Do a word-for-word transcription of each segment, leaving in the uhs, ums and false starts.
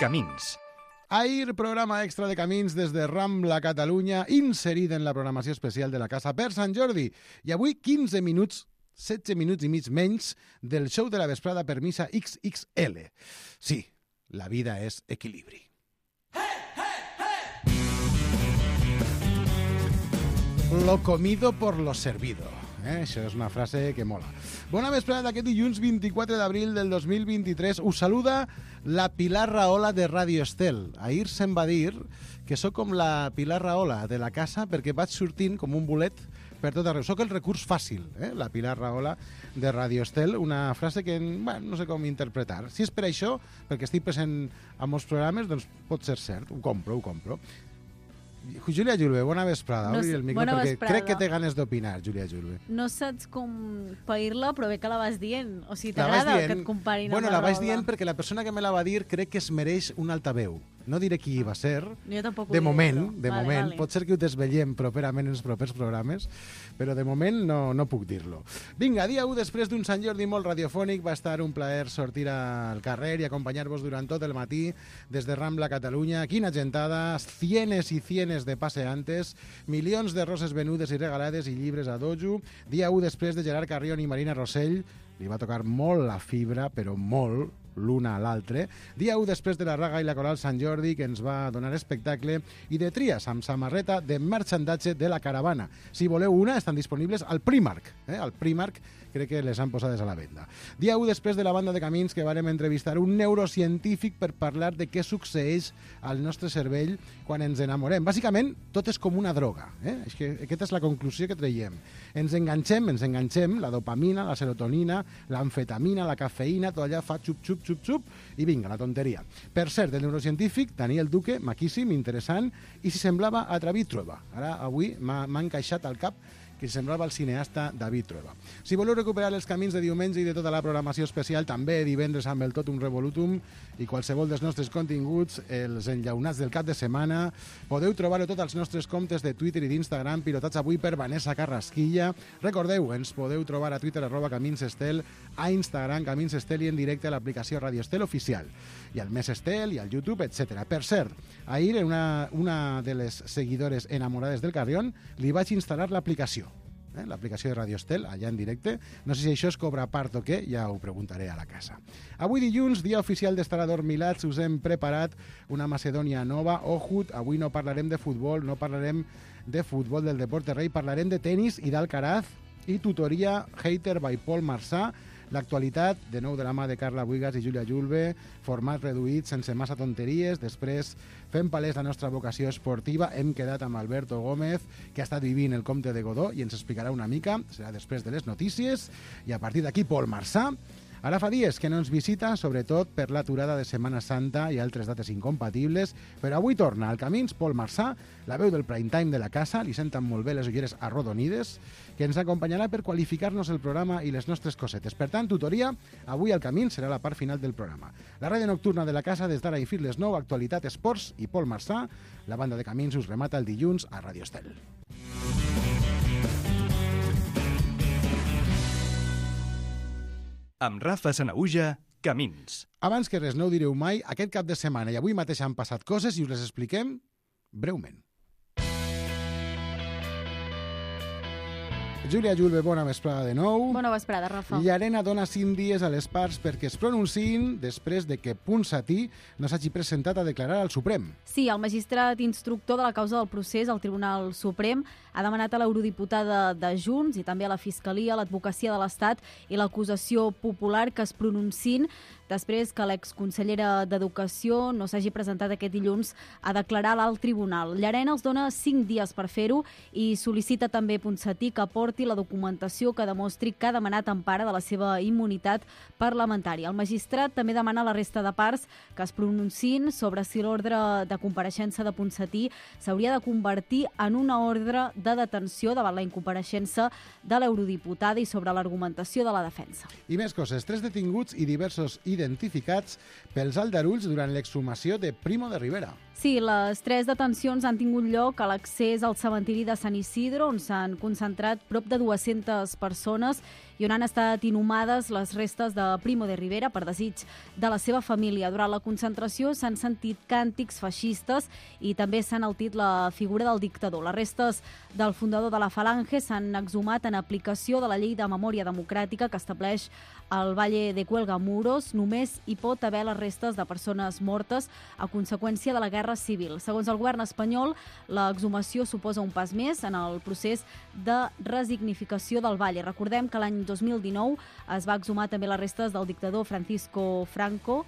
Camins. Ahir, programa extra de Camins des de Rambla, Catalunya, inserit en la programació especial de la Casa per Sant Jordi. I avui quinze minuts, setze minuts i mig menys del show de la vesprada per missa X X L. Sí, la vida és equilibri. Lo comido por lo servido. Eh? Això és una frase que mola. Bona vesprada d'aquest dilluns vint-i-quatre d'abril del dos mil vint-i-tres. Us saluda la Pilar Rahola de Radio Estel. Ahir se'm va dir que sóc com la Pilar Rahola de la casa perquè vaig sortint com un bolet per tot arreu. Sóc el recurs fàcil, eh? La Pilar Rahola de Radio Estel. Una frase que bueno, no sé com interpretar. Si és per això, perquè estic present a molts programes, doncs pot ser cert. Ho compro, ho compro. Júlia Julve, bona vesprada. No, Obri el micro bona perquè vesprada. crec que té ganes d'opinar, Júlia Julve. No saps com pair-la, però bé que la vas dient. O sigui, La vas t'agrada dient- que et comparin Bueno, amb la la vaig Rahola? dient perquè la persona que me la va dir crec que es mereix un altaveu. No diré qui va ser. Jo tampoc ho De diré, moment, però. de Vale, moment. vale. Pot ser que ho desvetllem properament en els propers programes, però de moment no, no puc dir-lo. Vinga, dia u, després d'un Sant Jordi molt radiofònic, va estar un plaer sortir al carrer i acompanyar-vos durant tot el matí des de Rambla, Catalunya. Quina gentada, cienes i cienes de paseantes, milions de roses venudes i regalades i llibres a dojo. Dia u, després de Gerard Carrion i Marina Rossell, li va tocar molt la fibra, però molt, l'una a l'altre. Dia u després de la Raga i la Coral Sant Jordi, que ens va donar espectacle, i de tries amb samarreta de marxandatge de la caravana. Si voleu una, estan disponibles al Primark. Eh? Al Primark crec que les han posades a la venda. Dia u després de la banda de Camins, que vàrem entrevistar un neurocientífic per parlar de què succeeix al nostre cervell quan ens enamorem. Bàsicament, tot és com una droga. Eh? És que aquesta és la conclusió que traiem. Ens enganxem, ens enganxem, la dopamina, la serotonina, l'amfetamina, la cafeïna, tot allà fa xup, xup, xup, xup, i vinga, la tonteria. Per cert, el neurocientífic, Daniel Duque, maquíssim, interessant, i si semblava a David Trueba. Ara, avui, m'ha encaixat al cap que semblava el cineasta David Trueba. Si voleu recuperar els camins de diumenge i de tota la programació especial, també divendres amb el Totum Revolutum i qualsevol dels nostres continguts, els enllaunats del cap de setmana, podeu trobar-ho tots als nostres comptes de Twitter i d'Instagram, pilotats avui per Vanessa Carrasquilla. Recordeu, ens podeu trobar a Twitter arroba Camins Estel, a Instagram Camins Estel i en directe a l'aplicació Radio Estel Oficial, i al Més Estel i al YouTube, etcètera. Per cert, ahir una, una de les seguidores enamorades del Carrion li vaig instal·lar l'aplicació. Eh, l'aplicació de Radio Estel, allà en directe. No sé si això es cobra a part o què, ja ho preguntaré a la casa. Avui dilluns, dia oficial d'estar adormilats, us hem preparat una Macedònia nova. Ojut, avui no parlarem de futbol, no parlarem de futbol del Deporte Rei, parlarem de tenis i d'Alcaraz i tutoria Hater by Paul Marsà. L'actualitat, de nou de la mà de Carla Buigas i Júlia Julve, format reduït, sense massa tonteries. Després fem palès la nostra vocació esportiva. Hem quedat amb Alberto Gómez, que ha estat vivint el Comte de Godó, i ens explicarà una mica. Serà després de les notícies. I a partir d'aquí, Paul Marsà. Ara fa dies que no ens visita, sobretot per l'aturada de Setmana Santa i altres dates incompatibles, però avui torna al Camins Paul Marsà, la veu del prime time de la casa, li senten molt bé les ulleres arrodonides, que ens acompanyarà per qualificar-nos el programa i les nostres cosetes. Per tant, tutoria, avui al Camins serà la part final del programa. La ràdio nocturna de la casa des d'ara i fins les nou, actualitat, esports i Paul Marsà. La banda de Camins us remata el dilluns a Radio Estel. Amb Rafa Sanaüja, Camins. Abans que res no ho direu mai, aquest cap de setmana i avui mateix han passat coses i us les expliquem breument. Júlia Julve, bona vesprada de nou. Bona vesprada, Rafa. Llarena dona cinc dies a les parts perquè es pronunciïn després de que Ponsatí no s'hagi presentat a declarar al Suprem. Sí, el magistrat instructor de la causa del procés al Tribunal Suprem ha demanat a l'eurodiputada de Junts i també a la Fiscalia, l'Advocacia de l'Estat i l'acusació popular que es pronunciïn després que l'exconsellera d'Educació no s'hagi presentat aquest dilluns a declarar a l'alt tribunal. Llarena els dona cinc dies per fer-ho i sol·licita també Ponsatí que aporti la documentació que demostri que ha demanat empara de la seva immunitat parlamentària. El magistrat també demana a la resta de parts que es pronunciïn sobre si l'ordre de compareixença de Ponsatí s'hauria de convertir en una ordre de detenció davant la incompareixença de l'eurodiputada i sobre l'argumentació de la defensa. I més coses, tres detinguts i diversos identificats pels aldarulls durant l'exhumació de Primo de Rivera. Sí, les tres detencions han tingut lloc a l'accés al cementiri de Sant Isidre, on s'han concentrat prop de dues-centes persones i on han estat inhumades les restes de Primo de Rivera per desig de la seva família. Durant la concentració s'han sentit càntics feixistes i també s'ha enaltit la figura del dictador. Les restes del fundador de la Falange s'han exhumat en aplicació de la llei de memòria democràtica que estableix al Valle de Cuelgamuros. Només hi pot haver les restes de persones mortes a conseqüència de la guerra civil. Segons el govern espanyol, l'exhumació suposa un pas més en el procés de resignificació del Valle. Recordem que l'any dos mil dinou es va exhumar també les restes del dictador Francisco Franco.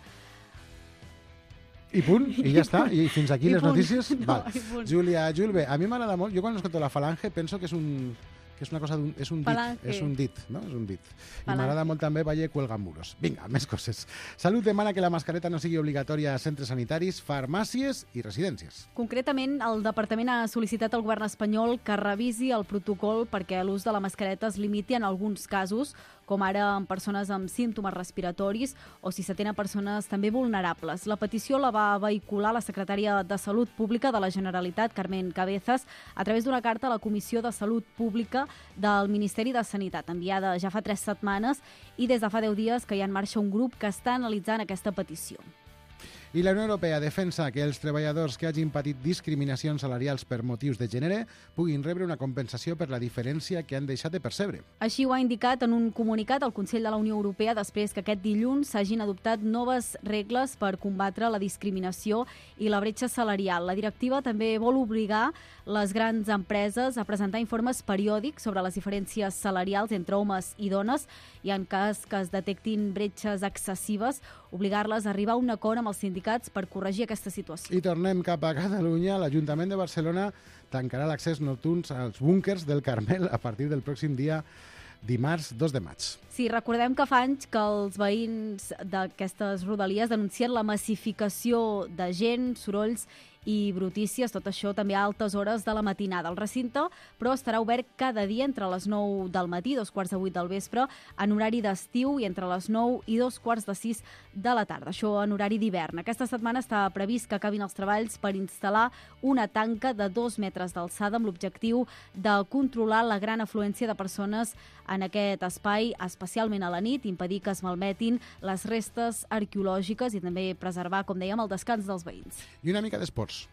I punt, i ja està, i fins aquí I les punt. notícies. No, Val. i punt. Júlia, Julbe, a mi m'agrada molt, jo quan escolto la Falange penso que és un que és una cosa d'un, és un dit, Falange. és un dit, no? És un dit. I Falange. m'agrada molt també Valle Cuelgamuros. Vinga, més coses. Salut demana que la mascareta no sigui obligatòria a centres sanitaris, farmàcies i residències. Concretament, el Departament ha sol·licitat al govern espanyol que revisi el protocol perquè l'ús de la mascareta es limiti en alguns casos, com ara en persones amb símptomes respiratoris o si s'atén a persones també vulnerables. La petició la va vehicular la secretària de Salut Pública de la Generalitat, Carmen Cabezas, a través d'una carta a la Comissió de Salut Pública del Ministeri de Sanitat, enviada ja fa tres setmanes i des de fa deu dies que hi ha en marxa un grup que està analitzant aquesta petició. I la Unió Europea defensa que els treballadors que hagin patit discriminacions salarials per motius de gènere puguin rebre una compensació per la diferència que han deixat de percebre. Així ho ha indicat en un comunicat el Consell de la Unió Europea després que aquest dilluns s'hagin adoptat noves regles per combatre la discriminació i la bretxa salarial. La directiva també vol obligar les grans empreses a presentar informes periòdics sobre les diferències salarials entre homes i dones i en cas que es detectin bretxes excessives, obligar-les a arribar a un acord amb els sindicats per corregir aquesta situació. I tornem cap a Catalunya. L'Ajuntament de Barcelona tancarà l'accés nocturn als búnkers del Carmel a partir del pròxim dia dimarts dos de maig. Sí, recordem que fa anys que els veïns d'aquestes rodalies denuncien la massificació de gent, sorolls i brutícies, tot això també a altes hores de la matinada. El recinte, però, estarà obert cada dia entre les nou del matí, dos quarts de vuit del vespre, en horari d'estiu i entre les nou i dos quarts de sis de la tarda. Això en horari d'hivern. Aquesta setmana està previst que acabin els treballs per instal·lar una tanca de dos metres d'alçada amb l'objectiu de controlar la gran afluència de persones en aquest espai, especialment a la nit, impedir que es malmetin les restes arqueològiques i també preservar, com dèiem, el descans dels veïns. I una mica d'esports.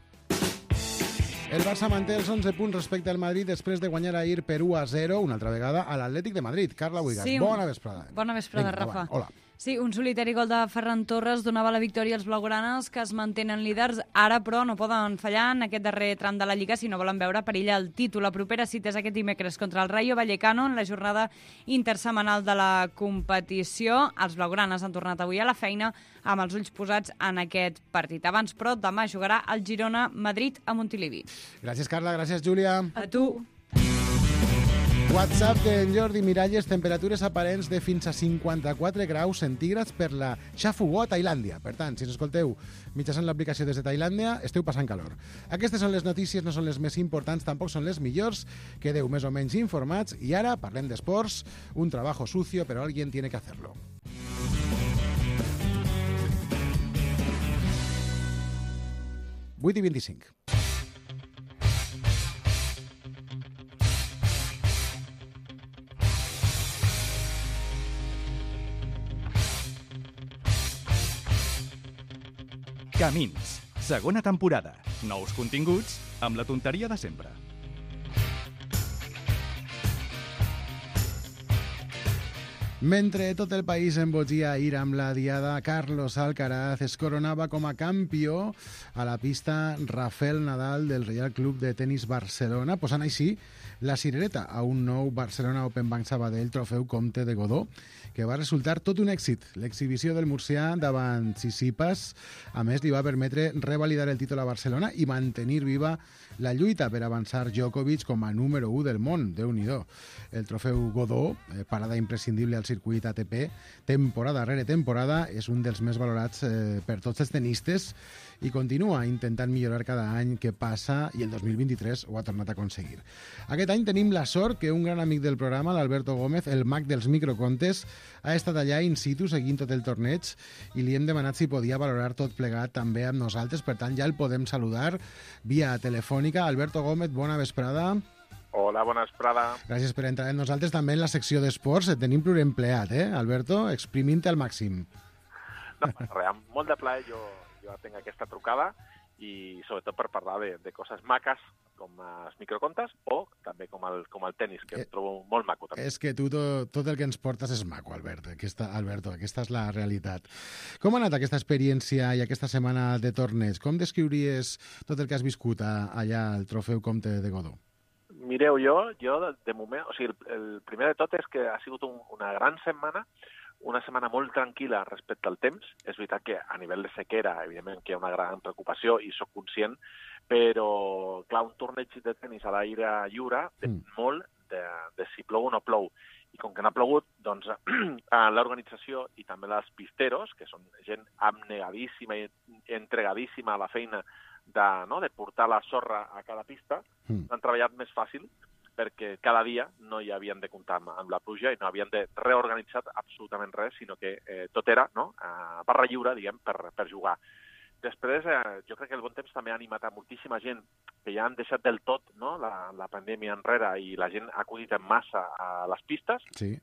El Barça manté els onze punts respecte al Madrid després de guanyar ahir per u a zero, una altra vegada, a l'Atlètic de Madrid. Carla Buigas, Sí, bona vesprada. Bona vesprada, Vinga, Rafa. va, hola. Sí, un solitari gol de Ferran Torres donava la victòria als blaugranes, que es mantenen líders. Ara, però, no poden fallar en aquest darrer tram de la Lliga si no volen veure perill el títol. La propera cita és aquest dimecres contra el Rayo Vallecano en la jornada intersemanal de la competició. Els blaugranes han tornat avui a la feina amb els ulls posats en aquest partit. Abans, però, demà jugarà el Girona-Madrid a Montilivi. Gràcies, Carla. Gràcies, Júlia. A tu. WhatsApp d'en Jordi Miralles, temperatures aparents de fins a cinquanta-quatre graus centígrads per la Xafugó a Tailàndia. Per tant, si ens escolteu mitjançant l'aplicació des de Tailàndia, esteu passant calor. Aquestes són les notícies, no són les més importants, tampoc són les millors. Quedeu més o menys informats i ara parlem d'esports. Un trabajo sucio, però alguien tiene que hacerlo. vuit i vint-i-cinc. Camins, segona temporada. Nous continguts amb la tonteria de sempre. Mentre tot el país embogia ahir amb la diada, Carlos Alcaraz es coronava com a campió a la pista Rafael Nadal del Reial Club de Tenis Barcelona, posant així la cirereta a un nou Barcelona Open Bank Sabadell Trofeu Comte de Godó, que va resultar tot un èxit. L'exhibició del murcià davant Tsitsipas, a més, li va permetre revalidar el títol a Barcelona i mantenir viva la lluita per avançar Djokovic com a número u del món. Déu-n'hi-do. El trofeu Godó, eh, parada imprescindible al circuit circuit A T P, temporada rere temporada, és un dels més valorats eh, per tots els tenistes i continua intentant millorar cada any que passa i el dos mil vint-i-tres ho ha tornat a aconseguir. Aquest any tenim la sort que un gran amic del programa, l'Alberto Gómez, el mag dels microcontes, ha estat allà in situ seguint tot el torneig i li hem demanat si podia valorar tot plegat també amb nosaltres, per tant ja el podem saludar via telefònica. Alberto Gómez, bona vesprada. Hola, bona vesprada. Gràcies per entrar amb nosaltres també en la secció d'esports. Et tenim pluriempleat, eh, Alberto? Exprimint-te al màxim. No, res, amb molt de plaer jo, jo tinc aquesta trucada i sobretot per parlar de, de coses maques com els microcontes o també com el, com el tenis, que eh, em trobo molt maco també. És que tu tot, tot el que ens portes és maco, Albert. Aquesta, Alberto, aquesta és la realitat. Com ha anat aquesta experiència i aquesta setmana de torneig? Com descriuries tot el que has viscut a, allà al Trofeu Comte de Godó? Mireu, jo, jo de, de moment, o sigui, el, el primer de tot és que ha sigut un, una gran setmana, una setmana molt tranquil·la respecte al temps. És veritat que a nivell de sequera, evidentment, que hi ha una gran preocupació i sóc conscient, però, clar, un torneig de tenis a l'aire lliure depèn mm. molt de, de si plou o no plou. I com que no ha plogut, doncs l'organització i també els pisteros, que són gent abnegadíssima i entregadíssima a la feina de, no, de portar la sorra a cada pista, mm. han treballat més fàcil perquè cada dia no hi havien de comptar amb, amb la pluja i no havien de reorganitzar absolutament res, sinó que eh, tot era no, a barra lliure, diguem, per, per jugar. Després, eh, jo crec que el bon temps també ha animat a moltíssima gent que ja han deixat del tot no, la, la pandèmia enrere i la gent ha acudit en massa a les pistes. Sí.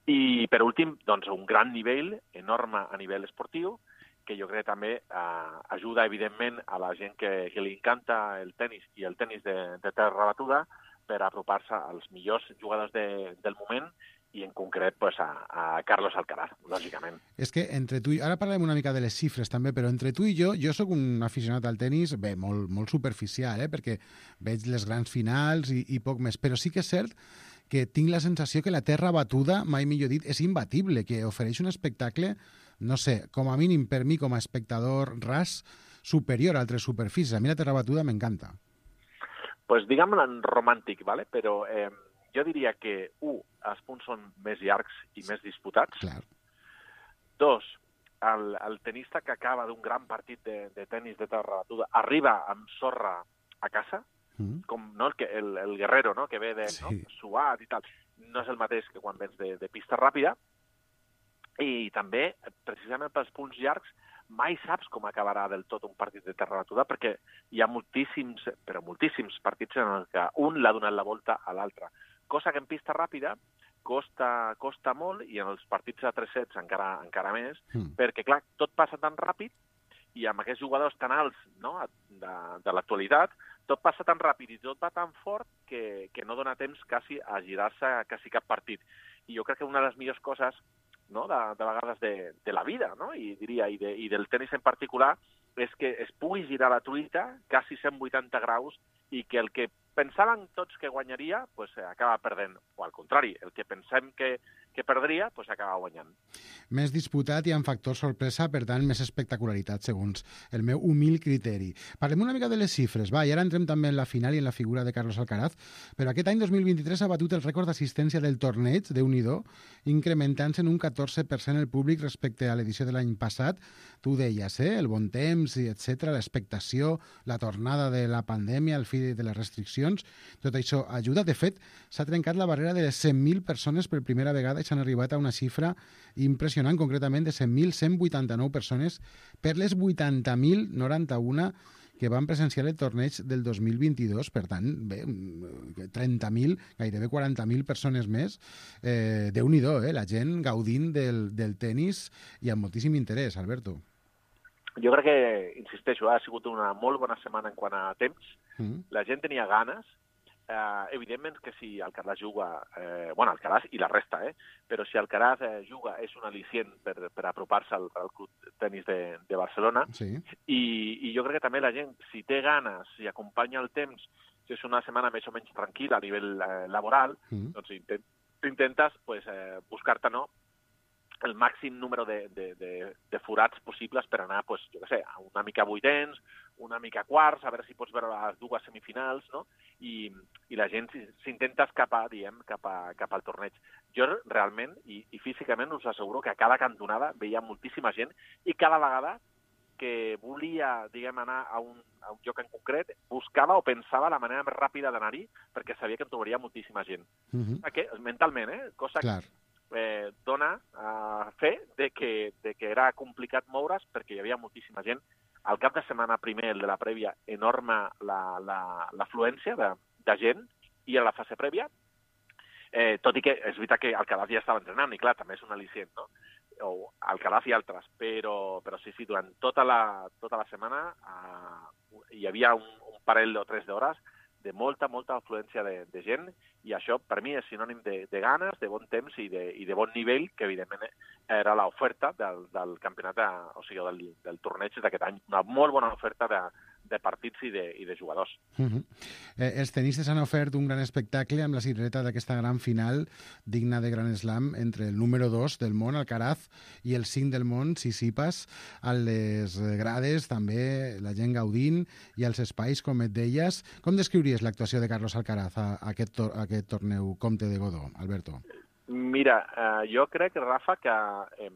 I, per últim, doncs, un gran nivell, enorme a nivell esportiu, que jo crec que també eh, ajuda, evidentment, a la gent que, que li encanta el tenis i el tenis de, de terra batuda per apropar-se als millors jugadors de, del moment i en concret pues, a, a Carlos Alcaraz, lògicament. És que entre tu i... Ara parlem una mica de les xifres també, però entre tu i jo, jo sóc un aficionat al tenis, bé, molt, molt superficial, eh, perquè veig les grans finals i, i poc més, però sí que és cert que tinc la sensació que la terra batuda, mai millor dit, és imbatible, que ofereix un espectacle, no sé, com a mínim per mi com a espectador ras, superior a altres superfícies. A mi la terra batuda m'encanta. Pues diguem-ne romàntic, ¿vale? Però eh, jo diria que, un, els punts són més llargs i més disputats. Clar. Dos, el, el tenista que acaba d'un gran partit de, de tenis de terra batuda arriba amb sorra a casa, mm. com no, el, que, el, el guerrero no, que ve de sí. no, suat i tal. No és el mateix que quan vens de, de pista ràpida. I també, precisament pels punts llargs, mai saps com acabarà del tot un partit de terra batuda, perquè hi ha moltíssims, però moltíssims partits en què un l'ha donat la volta a l'altre. Cosa que en pista ràpida costa, costa molt, i en els partits de tres sets encara, encara més, mm. perquè, clar, tot passa tan ràpid, i amb aquests jugadors tan alts no, de, de l'actualitat, tot passa tan ràpid i tot va tan fort que, que no dona temps quasi a girar-se quasi cap partit. I jo crec que una de les millors coses no, de, de vegades de, de la vida, no? I diria, i, de, i del tenis en particular, és que es pugui girar la truita quasi cent vuitanta graus i que el que pensaven tots que guanyaria, pues, acaba perdent. O al contrari, el que pensem que, que perdria, pues, acaba guanyant. Més disputat i amb factor sorpresa, per tant, més espectacularitat, segons el meu humil criteri. Parlem una mica de les xifres, va, i ara entrem també en la final i en la figura de Carlos Alcaraz, però aquest any dos mil vint-i-tres ha batut el rècord d'assistència del torneig, Déu-n'hi-do, incrementant-se en un catorze per cent el públic respecte a l'edició de l'any passat. Tu deies, eh? El bon temps, etcètera, l'expectació, la tornada de la pandèmia, el fi de les restriccions, tot això ajuda. De fet, s'ha trencat la barrera de les cent mil persones per primera vegada i s'han arribat a una xifra impressionant, concretament de cent mil cent vuitanta-nou persones per les vuitanta mil noranta-u que van presenciar el torneig del dos mil vint-i-dos. Per tant, bé, trenta mil, gairebé quaranta mil persones més. Eh, Déu-n'hi-do, eh? La gent gaudint del, del tenis i amb moltíssim interès, Alberto. Jo crec que, insisteixo, ha sigut una molt bona setmana en quant a temps. Mm. La gent tenia ganes. Eh, evidentment que si Alcaraz juga, eh, bueno, Alcaraz i la resta, eh, però si Alcaraz eh, juga és un al·licient per, per apropar-se al, al club tenis de, de Barcelona, sí. I, i jo crec que també la gent, si té ganes, si acompanya el temps, si és una setmana més o menys tranquil·la a nivell eh, laboral, mm. doncs intent, intentes pues, eh, buscar-te no, el màxim número de, de, de, de forats possibles per anar, pues, jo què sé, una mica vuitens, una mica quarts, a veure si pots veure les dues semifinals, no? I, i la gent s'intenta escapar, diem, cap, a, cap al torneig. Jo realment, i, i físicament, us asseguro que a cada cantonada veia moltíssima gent i cada vegada que volia, diguem, anar a un, a un lloc en concret, buscava o pensava la manera més ràpida d'anar-hi perquè sabia que en trobaria moltíssima gent. Mm-hmm. Que, mentalment, eh? Cosa Clar. que eh, dona uh, fe de que, de que era complicat moure's perquè hi havia moltíssima gent. Al cap de setmana primer, el de la prèvia, enorme l'afluència la, la, de, de gent, i a la fase prèvia, eh, tot i que és veritat que Alcaraz ja estava entrenant, i clar, també és un al·licient, no? O Alcaraz i altres, però, però sí, sí, durant tota la, tota la setmana uh, hi havia un, un parell o tres d'hores de molta, molta afluència de, de gent, i això per mi és sinònim de, de ganes, de bon temps i de, i de bon nivell, que evidentment era l'oferta del, del campionat, de, o sigui, del, del torneig d'aquest any. Una molt bona oferta de, de partits i de, i de jugadors. Uh-huh. eh, els tenistes han ofert un gran espectacle amb la cirereta d'aquesta gran final digna de Grand Slam entre el número dos del món, Alcaraz, i el cinc del món, Tsitsipas. A les grades també la gent gaudint i als espais, com et deies. Com descriuries l'actuació de Carlos Alcaraz a, a, aquest, tor a aquest torneu Comte de Godó, Alberto? Mira, eh, jo crec, Rafa, que eh,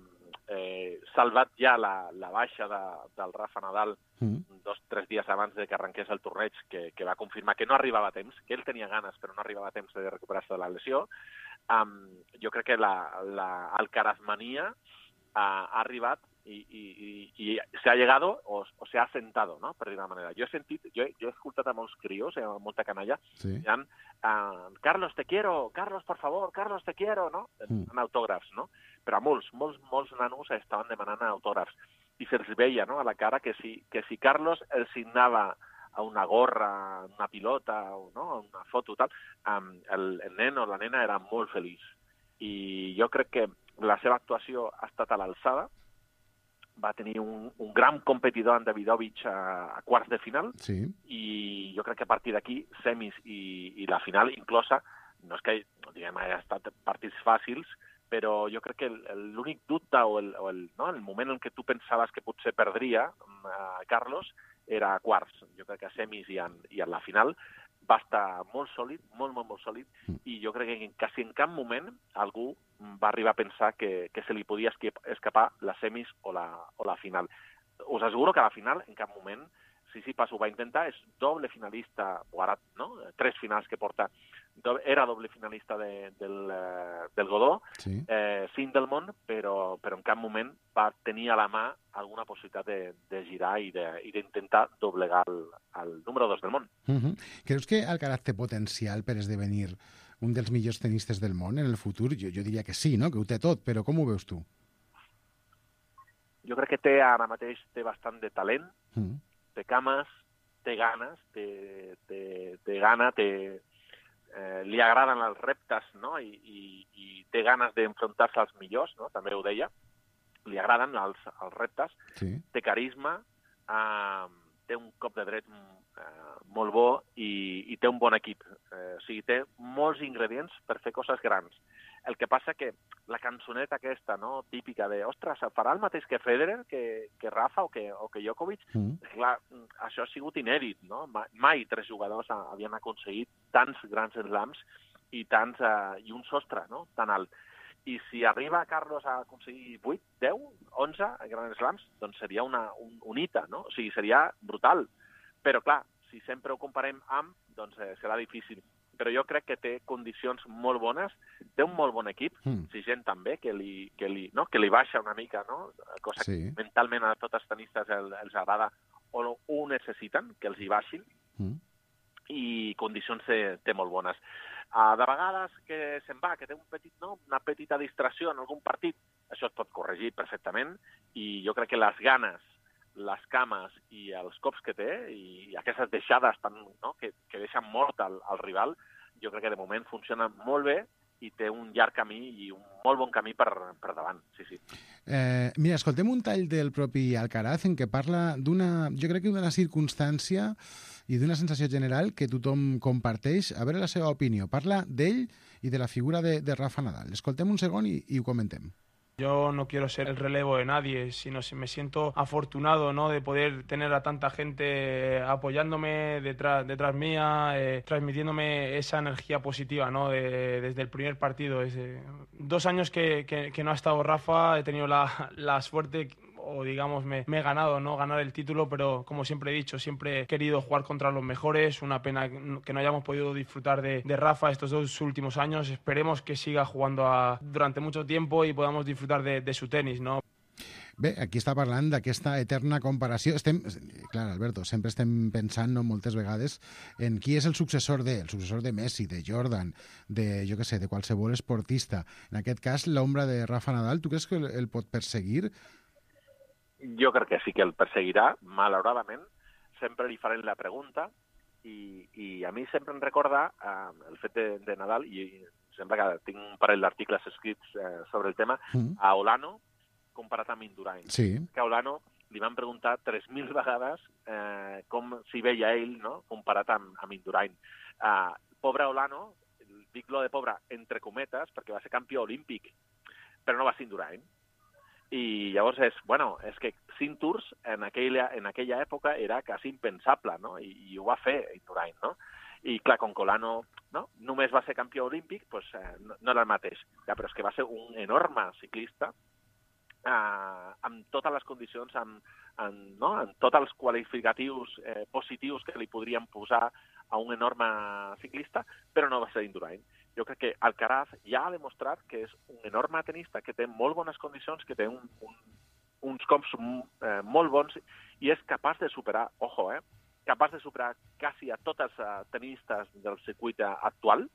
eh, salvat ja la, la baixa de, del Rafa Nadal mm. dos o tres dies abans de que arrenqués el torneig, que, que va confirmar que no arribava a temps, que ell tenia ganes però no arribava a temps de recuperar-se de la lesió. Um, jo crec que la, la Alcarazmania uh, ha arribat y, y, y, y se ha llegado o, o se ha sentado, ¿no? Per dir-ho manera. Jo he sentit, jo, jo he escoltat a molts crios, a molta canalla, sí. Dient, uh, Carlos, te quiero, Carlos, por favor, Carlos, te quiero, no? Mm. En autògrafs, no? Però a molts, molts, molts nanos estaven demanant autògrafs. I se'ls veia, no?, a la cara que si, que si Carlos els signava a una gorra, una pilota, o, no?, una foto, tal, um, el, el nen o la nena era molt feliç. I jo crec que la seva actuació ha estat a l'alçada. Va tenir un, un gran competidor en Davidovich a, a quarts de final, sí. I jo crec que a partir d'aquí, semis i, i la final inclosa, no és que diguem, hagi estat partits fàcils, però jo crec que l'únic dubte o, el, o el, no, el moment en què tu pensaves que potser perdria uh, Carlos era a quarts. Jo crec que a semis i en, i en la final va estar molt sòlid, molt, molt, molt sòlid, mm. I jo crec que quasi en cap moment algú va arribar a pensar que, que se li podia escapar la semis o la, o la final. Us asseguro que a la final, en cap moment, Tsitsipas ho va intentar, és doble finalista, o ara, no?, tres finals que porta, do, era doble finalista de, del, uh, del Godó, sí. eh, cinc del món, però, però en cap moment va tenir a la mà alguna possibilitat de, de girar i d'intentar doblegar el, el número dos del món. Uh-huh. Creus que Alcaraz té potencial per esdevenir un dels millors tenistes del món en el futur? Jo, jo diria que sí, no?, que ho té tot, però com ho veus tu? Jo crec que té ara mateix té bastant de talent, uh-huh. Té cames, té ganes, té, té, té gana, té, eh, li agraden els reptes, no?, I, i, i té ganes d'enfrontar-se als millors, no?, també ho deia, li agraden els, els reptes, sí. Té carisma, eh, té un cop de dret eh, molt bo i, i té un bon equip. Eh, o sigui, té molts ingredients per fer coses grans. El que passa que la cançoneta aquesta, no?, típica de, ostres, farà el mateix que Federer, que, que Rafa o que, o que Djokovic? Mm. Clar, això ha sigut inèdit, no? Mai, mai tres jugadors havien aconseguit tants grans slams i, tants, uh, i un sostre, no?, tan alt. I si arriba Carlos a aconseguir vuit, deu, onze grans slams, doncs seria una, un, un hita, no? O sigui, seria brutal. Però, clar, si sempre ho comparem amb, doncs eh, serà difícil. Però jo crec que té condicions molt bones, té un molt bon equip, mm. si gent també, que li, que, li, no? que li baixa una mica, no? Cosa sí. Que mentalment a tots els tenistes el, els agrada o ho necessiten, que els hi baixin, mm. I condicions té, té molt bones. Uh, de vegades que se'n va, que té un petit, no? una petita distracció en algun partit, això es pot corregir perfectament, i jo crec que les ganes, les cames i els cops que té i aquestes deixades tan, no? que, que deixen mort al, al rival, jo crec que de moment funciona molt bé i té un llarg camí i un molt bon camí per, per davant. Sí, sí. Eh, mira, escoltem un tall del propi Alcaraz en què parla d'una, jo crec que d'una circumstància i d'una sensació general que tothom comparteix. A veure la seva opinió. Parla d'ell i de la figura de, de Rafa Nadal. Escoltem un segon i, i ho comentem. Yo no quiero ser el relevo de nadie, sino me siento afortunado, ¿no?, de poder tener a tanta gente apoyándome detrás, detrás mía, eh, transmitiéndome esa energía positiva, ¿no?, de, desde el primer partido. Desde dos años que, que, que no ha estado Rafa, he tenido la, la suerte, o digamos me, me he ganado, ¿no?, ganar el título, pero como siempre he dicho, siempre he querido jugar contra los mejores. Una pena que no hayamos podido disfrutar de, de Rafa estos dos últimos años. Esperemos que siga jugando a, durante mucho tiempo y podamos disfrutar de, de su tenis, ¿no? Bé, aquí està parlant d'aquesta eterna comparació. Estem, clar, Alberto, sempre estem pensant, no, moltes vegades en qui és el successor de, el successor de Messi, de Jordan, de, jo què sé, de qualsevol esportista. En aquest cas, l'ombra de Rafa Nadal, tu creus que el, el pot perseguir? Jo crec que sí que el perseguirà, malauradament. Sempre li farem la pregunta i, i a mi sempre em recorda eh, el fet de, de Nadal, i sembla que tinc un parell d'articles escrits eh, sobre el tema, mm. a Olano, comparat amb Indurain. Sí. Que a Olano li van preguntar tres mil vegades eh, com s'hi veia ell, no?, comparat amb, amb Indurain. Uh, pobre Olano, dic lo de pobre entre cometes, perquè va ser campió olímpic, però no va ser Indurain. I llavors és, bueno, és que cinc tours en aquella, en aquella època era quasi impensable, no?, I, i ho va fer Indurain, no? I clar, com que Olano, no?, només va ser campió olímpic, pues, eh, no, no era el mateix. Ja, però és que va ser un enorme ciclista, Uh, amb totes les condicions, amb, amb, no? amb tots els qualificatius eh, positius que li podrien posar a un enorme ciclista, però no va ser Indurain. Jo crec que Alcaraz ja ha demostrat que és un enorme tenista, que té molt bones condicions, que té un, un, uns cops eh, molt bons i és capaç de superar, ojo, eh, capaç de superar quasi a tots els uh, tenistes del circuit actual,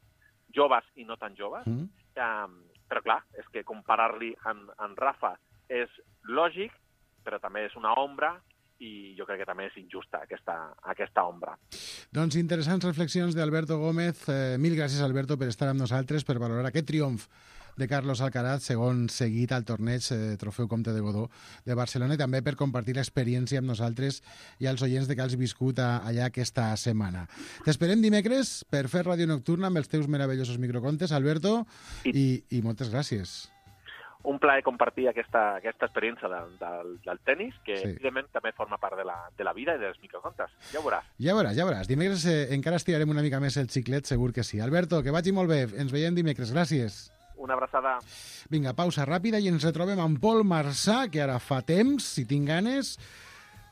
joves i no tan joves, mm. um, però clar, és que comparar-li amb, amb Rafa és lògic, però també és una ombra i jo crec que també és injusta aquesta, aquesta ombra. Doncs interessants reflexions d'Alberto Gómez. Eh, mil gràcies, Alberto, per estar amb nosaltres, per valorar aquest triomf de Carlos Alcaraz, segon seguit al torneig eh, Trofeu Comte de Godó de Barcelona, i també per compartir l'experiència amb nosaltres i als oients de que has viscut a, allà aquesta setmana. T'esperem dimecres per fer ràdio nocturna amb els teus meravellosos microcontes, Alberto, i, i, i moltes gràcies. Un plaer compartir aquesta, aquesta experiència del, del, del tenis, que sí, evidentment també forma part de la, de la vida i dels microcontes. Ja ho veuràs. Ja veuràs, ja veuràs. Dimecres eh, encara estirarem una mica més el xiclet, segur que sí. Alberto, que vagi molt bé. Ens veiem dimecres. Gràcies. Una abraçada. Vinga, pausa ràpida i ens retrobem amb Pol Marçà, que ara fa temps, si tinc ganes,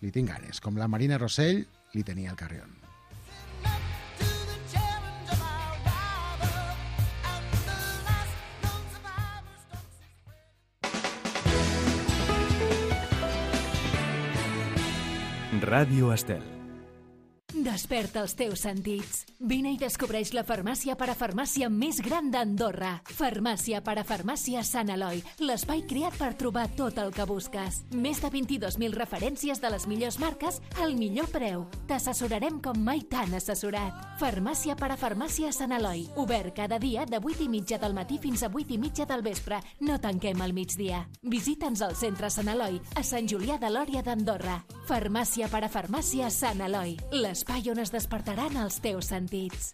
li tinc ganes. Com la Marina Rossell li tenia el Carrión. Ràdio Estel. Desperta els teus sentits. Vine i descobreix la farmàcia parafarmàcia més gran d'Andorra. Farmàcia parafarmàcia Sant Eloi, l'espai creat per trobar tot el que busques. Més de vint-i-dos mil referències de les millors marques al millor preu. T'assessorarem com mai t'han assessorat. Farmàcia parafarmàcia Sant Eloi. Obert cada dia de vuit i mitja del matí fins a vuit i mitja del vespre. No tanquem al migdia. Visita'ns al centre Sant Eloi, a Sant Julià de Lòria d'Andorra. Farmàcia parafarmàcia Sant Eloi. L'espai on es despertaran els teus sentits.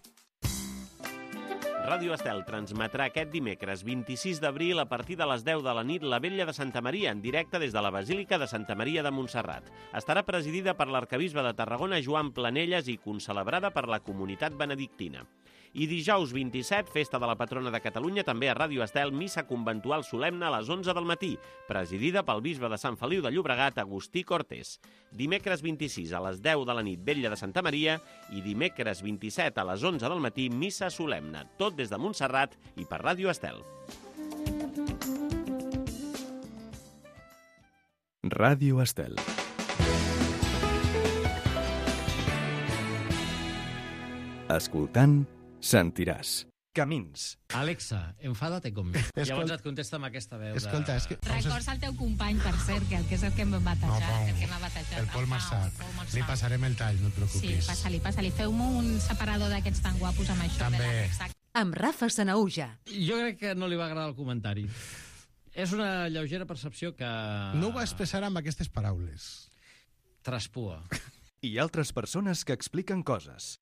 Ràdio Estel transmetrà aquest dimecres vint-i-sis d'abril a partir de les deu de la nit la Vetlla de Santa Maria en directe des de la Basílica de Santa Maria de Montserrat. Estarà presidida per l'arcabisbe de Tarragona Joan Planelles i concelebrada per la comunitat benedictina. I dijous vint-i-set, festa de la patrona de Catalunya, també a Ràdio Estel, missa conventual solemne a les onze del matí, presidida pel bisbe de Sant Feliu de Llobregat, Agustí Cortés. Dimecres vint-i-sis a les deu de la nit, Vetlla de Santa Maria, i dimecres vint-i-set a les onze del matí, missa solemne, tot des de Montserrat i per Ràdio Estel. Ràdio Estel. Escoltant, sentiràs. Camins. Alexa, enfada't conmigo. Escolta, llavors et contesta amb aquesta veu. Escolta, de... és que... Records al teu company, per cert, que, que és el que m'ha batejat. No, el que m'ha batejat. El Pol Marçà. Li passarem el tall, no et preocupis. Sí, passa-li, passa-li. Feu-me un separador d'aquests tan guapos amb això. També. Amb Rafa Sanaúja. Jo crec que no li va agradar el comentari. És una lleugera percepció que... No ho va expressar amb aquestes paraules. Traspua. I altres persones que expliquen coses.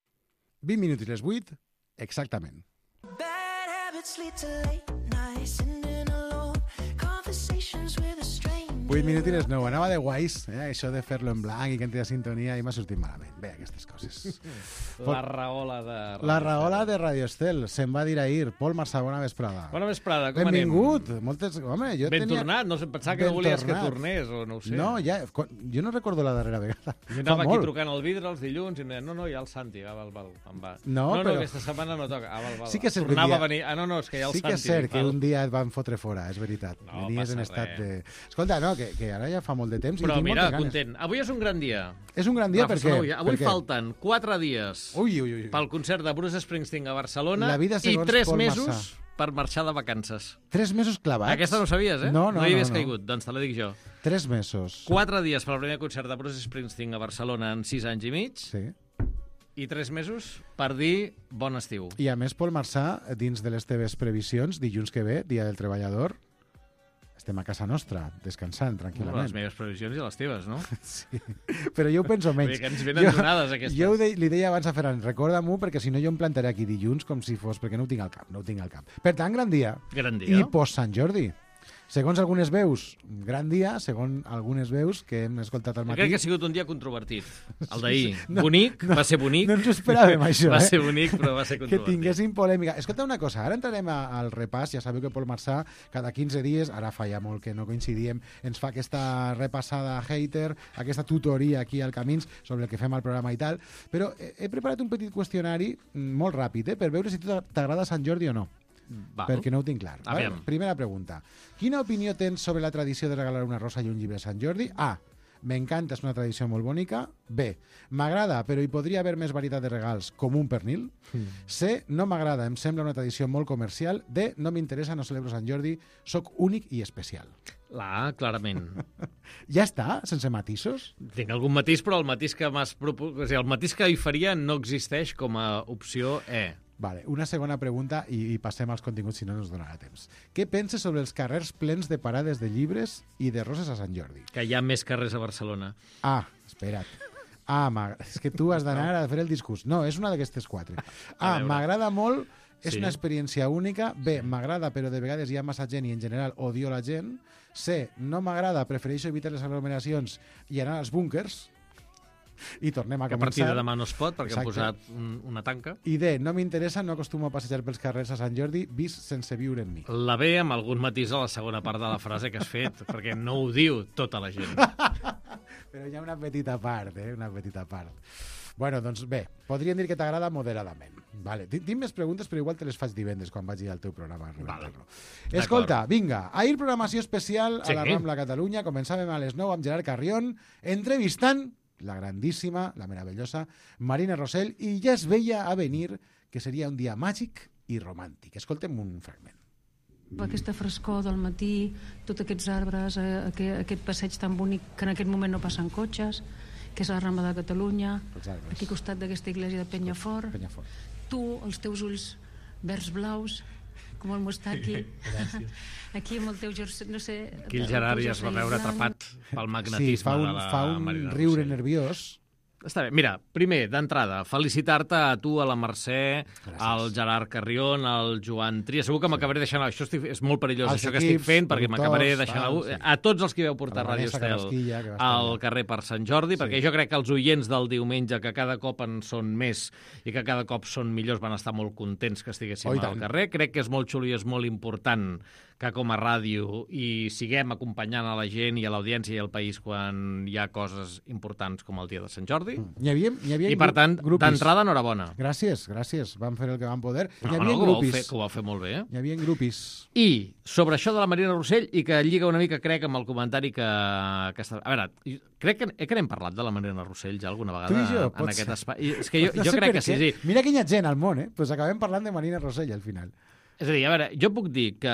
vint minuts i les vuit, exactament. Bad habits lead to late nights, sitting alone, conversation vuit minutines nou, anava de guais, eh? Això de fer-lo en blanc i que entri a sintonia i m'ha sortit malament. Bé, aquestes coses. La raola de Radio La raola de Radio Estel, se'n va dir ahir. Pol Marçà, bona vesprada. Bona vesprada, com Benvingut. anem? Moltes... Home, jo ben tenia... tornat, no sé, pensava que ben no volies tornat. que tornés, o no ho sé. No, ja, jo no recordo la darrera vegada. Jo anava aquí trucant al vidre els dilluns i em deien, no, no, hi ha el Santi, ah, val, val, em va. No, no, però... no, aquesta setmana no toca, ah, val, val. Sí que és cert Tornava dia... a venir, ah, no, no, és que hi ha el sí Santi. Sí que és cert que val. un dia et van fotre fora, és veritat. No Venies en passa estat res. de... Escolta, no, que, que ara ja fa molt de temps Però i tinc mira, moltes ganes. content. Avui és un gran dia. És un gran dia Rafa perquè... Sanouia, avui perquè... falten quatre dies ui, ui, ui. pel concert de Bruce Springsteen a Barcelona La vida i segons tres Pol mesos Marçà. per marxar de vacances. Tres mesos clavats? Aquesta no ho sabies, eh? No, no, no hi no, havies no. caigut, doncs te la dic jo. Tres mesos. Quatre dies per al primer concert de Bruce Springsteen a Barcelona en sis anys i mig. Sí. I tres mesos per dir bon estiu. I a més, Pol Marçà, dins de les teves previsions, dilluns que ve, Dia del Treballador, estem a casa nostra, descansant tranquil·lament. Les meves previsions i les teves, no? Sí, però jo ho penso menys. Vull dir que ens venen donades, aquestes. Jo de, li deia abans a Ferran, recorda-m'ho, perquè si no jo em plantaré aquí dilluns com si fos, perquè no ho tinc al cap, no ho tinc al cap. Per tant, gran dia. Gran dia. I post Sant Jordi. Segons algunes veus, gran dia, segons algunes veus que hem escoltat al matí... Jo crec que ha sigut un dia controvertit. El d'ahir. No, bonic, no, va ser bonic. No ens ho esperàvem, això, va eh? ser bonic, però va ser controvertit. Que tinguéssim polèmica. Escolta una cosa, ara entrarem a, al repàs. Ja sabeu que Pol Marçà, cada quinze dies, ara fa ja molt que no coincidíem, ens fa aquesta repassada hater, aquesta tutoria aquí al Camins sobre el que fem al programa i tal. Però he, he preparat un petit qüestionari molt ràpid, eh, per veure si t'agrada Sant Jordi o no. Val. Perquè no ho tinc clar. Vale? Aviam. Primera pregunta. Quina opinió tens sobre la tradició de regalar una rosa i un llibre a Sant Jordi? A. M'encanta, és una tradició molt bonica. B. M'agrada, però hi podria haver més varietat de regals, com un pernil. Mm. C. No m'agrada, em sembla una tradició molt comercial. D. No m'interessa, no celebro Sant Jordi, soc únic i especial. La A, clarament. Ja està? Sense matisos? Tinc algun matís, però el matís que m'has propos... o sigui, el matís que hi faria no existeix com a opció E. Vale, una segona pregunta i, i passem als continguts, si no ens donarà temps. Què penses sobre els carrers plens de parades de llibres i de roses a Sant Jordi? Que hi ha més carrers a Barcelona. Ah, espera't. Ah, és que tu has d'anar a fer el discurs. No, és una d'aquestes quatre. A, m'agrada molt, és sí. Una experiència única. B, m'agrada, però de vegades hi ha massa gent i en general odio la gent. C, no m'agrada, prefereixo evitar les aglomeracions i anar als búnkers. I tornem a que començar. a partir de demà no es pot, perquè Exacte. han posat un, una tanca. I D, no m'interessa, no acostumo a passejar pels carrers a Sant Jordi, vist sense viure en mi. La B, amb algun matís a la segona part de la frase que has fet, perquè no ho diu tota la gent. Però hi ha una petita part, eh? Una petita part. Bueno, doncs bé, podríem dir que t'agrada moderadament. Vale. Tinc més preguntes, però igual te les faig divendres quan vagi al teu programa. Vale. Escolta, vinga, ahir programació especial sí. a la Rambla Catalunya. Començàvem a les nou amb Gerard Carrión, entrevistant la grandíssima, la meravellosa Marina Rosell, i ja es veia a venir que seria un dia màgic i romàntic. Escoltem un fragment. Aquesta frescor del matí, tots aquests arbres, eh, aquest, aquest passeig tan bonic que en aquest moment no passen cotxes, que és la Rambla de Catalunya, aquí al costat d'aquesta església de Penyafort. Penyafort. Tu, els teus ulls verds blaus, com el mostaqui. Aquí amb el teu jersei, no sé... Aquí el Gerard ja es va veure atrapat pel magnetisme sí, fa un, de la fa un Marina riure Rosell. nerviós. Està bé. Mira, primer, d'entrada, felicitar-te a tu, a la Mercè, Gràcies. al Gerard Carrión, al Joan Tria. Segur que sí. m'acabaré deixant... Això estic... és molt perillós, als això equips, que estic fent, perquè m'acabaré productors, deixant... tal, A... sí. a tots els que veu portar La Ràdio Vanessa Estel Carrasquilla, que va estar al allà. carrer per Sant Jordi, Sí. perquè jo crec que els oients del diumenge, que cada cop en són més i que cada cop són millors, van estar molt contents que estiguéssim Oh, i al tant. carrer. Crec que és molt xulo i és molt important que com a ràdio i siguem acompanyant a la gent i a l'audiència i al país quan hi ha coses importants com el dia de Sant Jordi. Hi havia, hi havia I, per tant, grupis. d'entrada, enhorabona. Gràcies, gràcies. Vam fer el que vam poder. Hi No, havia no, que ho vau grupis. fer, que ho vau fer molt bé. Eh? Hi havia grupis. I sobre això de la Marina Rosell, i que lliga una mica, crec, amb el comentari que... que està... A veure, crec que, eh, que n'hem parlat de la Marina Rosell ja alguna vegada Tu i jo, en pot aquest ser. espai. I és que jo, No jo sé crec per que sí, què. sí. Mira quina gent al món, eh? Pues acabem parlant de Marina Rosell al final. És a dir, a veure, jo puc dir que...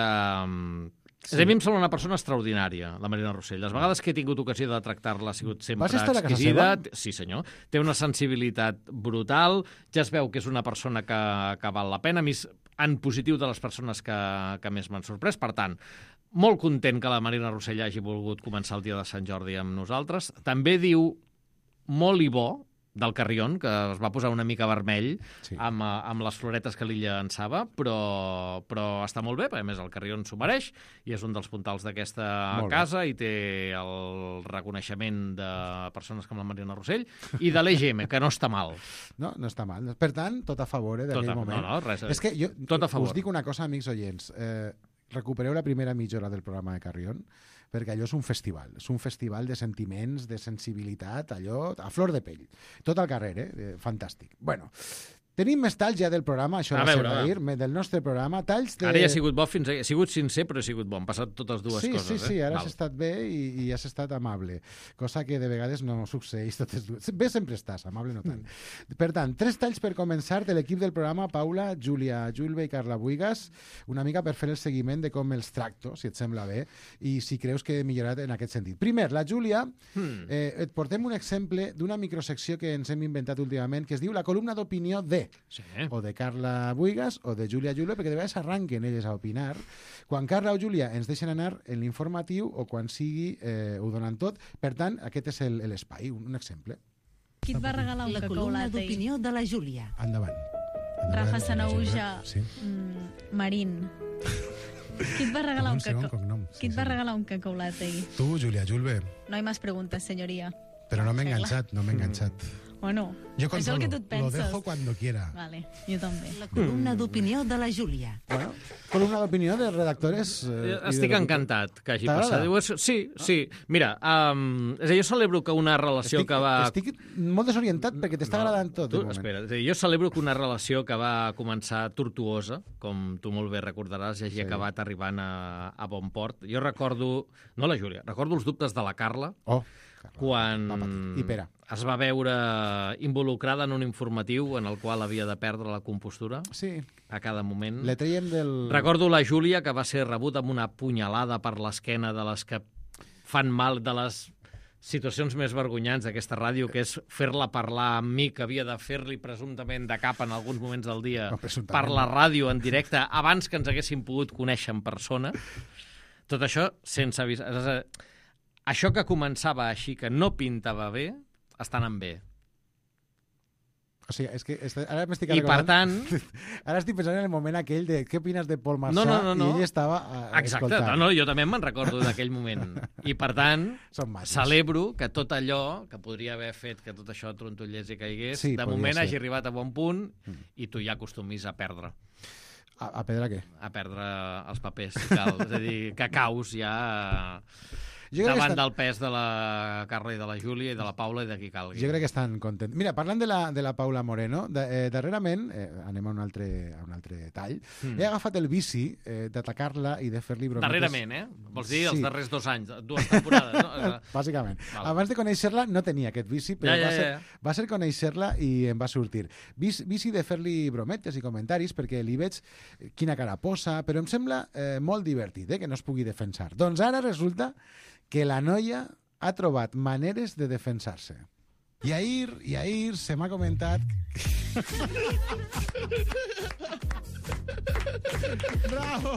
Sí. A mi em sembla una persona extraordinària, la Marina Rosell. Les vegades que he tingut ocasió de tractar-la ha sigut sempre Vas estar a casa exquisida. seva? Sí, senyor. Té una sensibilitat brutal. Ja es veu que és una persona que, que val la pena. A mi és en positiu de les persones que, que més m'han sorprès. Per tant, molt content que la Marina Rosell hagi volgut començar el dia de Sant Jordi amb nosaltres. També diu molt i bo del Carrion, que es va posar una mica vermell Sí. amb, eh, amb les floretes que li llançava, però, però està molt bé, perquè a més el Carrion s'ho mereix i és un dels puntals d'aquesta Molt bé. casa i té el reconeixement de persones com la Mariana Rossell i de l'E G M, que no està mal. No, no està mal. Per tant, tot a favor eh, Tot d'aquell a- moment. no, no, res a dir. És que jo Tot a favor. us dic una cosa, amics oients. Eh, recupereu la primera mitja hora del programa de Carrion, perquè allò és un festival. És un festival de sentiments, de sensibilitat, allò a flor de pell. Tot al carrer, eh? eh fantàstic. Bueno, tenim més talls ja del programa, això A va ser veure, a va. dir, me- del nostre programa. Talls de... Ara ja ha sigut bo, fins a... ha sigut sincer, però ha sigut bo. Han passat totes dues sí, coses. Sí, sí, eh? ara Val. has estat bé i, i has estat amable, cosa que de vegades no succeeix totes dues. Bé sempre estàs, amable no tant. Per tant, tres talls per començar de l'equip del programa, Paula, Júlia Julve i Carla Buigas, una mica per fer el seguiment de com els tracto, si et sembla bé, i si creus que he millorat en aquest sentit. Primer, la Júlia, Hmm. eh, et portem un exemple d'una microsecció que ens hem inventat últimament, que es diu la columna d'opinió de, Sí. o de Carla Buigas o de Júlia Julve, perquè de vegades arranquen elles a opinar. Quan Carla o Júlia ens deixen anar en l'informatiu o quan sigui eh, ho donen tot. Per tant, aquest és el- l'espai, un, un exemple. Qui et va regalar un La cacau columna latte? d'opinió de la Júlia. Endavant. Rafa Sanauja Sí. mm, Marín. Qui et va regalar Un un segon cacau? cognom. Qui et va regalar un cacau latte? Tu, Júlia Julve. No hay más preguntas, señoría. Pero no me he Regla. enganchado, no me he enganchado. O no? Yo És el controlo, que tu et lo penses. dejo cuando quiera. Vale, jo també. La columna d'opinió de la Júlia. Bueno, columna d'opinió dels redactores... Eh, i Estic de- encantat que hagi T'agrada? passat. Diu, és- Sí, sí. Mira, um, és a dir, jo celebro que una relació Estic, que va... estic molt desorientat perquè t'està agradant tot. Tu, de moment. espera, és a dir, jo celebro que una relació que va començar tortuosa, com tu molt bé recordaràs, ja hagi Sí. acabat arribant a, a bon port. Jo recordo, no la Júlia, recordo els dubtes de la Carla, Oh, quan va patir. I Pere. es va veure involucrada en un informatiu en el qual havia de perdre la compostura Sí, a cada moment. le traiem del... Recordo la Júlia, que va ser rebuda amb una punyalada per l'esquena de les que fan mal, de les situacions més vergonyants d'aquesta ràdio, que és fer-la parlar amb mi, que havia de fer-li presumptament de cap en alguns moments del dia No, presumptament per la no. ràdio en directe, abans que ens haguéssim pogut conèixer en persona. Tot això sense avisar. És a dir, això que començava així, que no pintava bé, està anant bé. O sigui, és que est- ara m'estic I per recordant... tant... Ara estic pensant en el moment aquell de què opines de Paul Marçà No, no, no, no. i ell estava eh, Exacte, escoltant. no, no, jo també me'n recordo d'aquell moment. I, per tant, Són mates. celebro que tot allò que podria haver fet que tot això trontollés i caigués, Sí, de podria moment ser. hagi arribat a bon punt i tu ja acostumis a perdre, A, a pedra què? a perdre els papers, si cal. És a dir, que caus ja Jo crec que davant està- del pes de la Carla i de la Júlia i de la Paula i de qui calgui. Jo crec que estan contents. Mira, parlant de la, de la Paula Moreno, de, eh, darrerament, eh, anem a un altre, a un altre tall, Mm. he agafat el vici eh, d'atacar-la i de fer-li brometes. Darrerament, eh? Vols dir els Sí. darrers dos anys, dues temporades, no? Bàsicament. Val. Abans de conèixer-la no tenia aquest vici, però Ja, ja, va, ser, ja, ja. va ser conèixer-la i em va sortir. Vici, vici de fer-li brometes i comentaris perquè li veig quina cara posa, però em sembla eh, molt divertit eh, que no es pugui defensar. Doncs ara resulta que la noia ha trobat maneres de defensar-se. I ahir, i ahir se m'ha comentat... Bravo!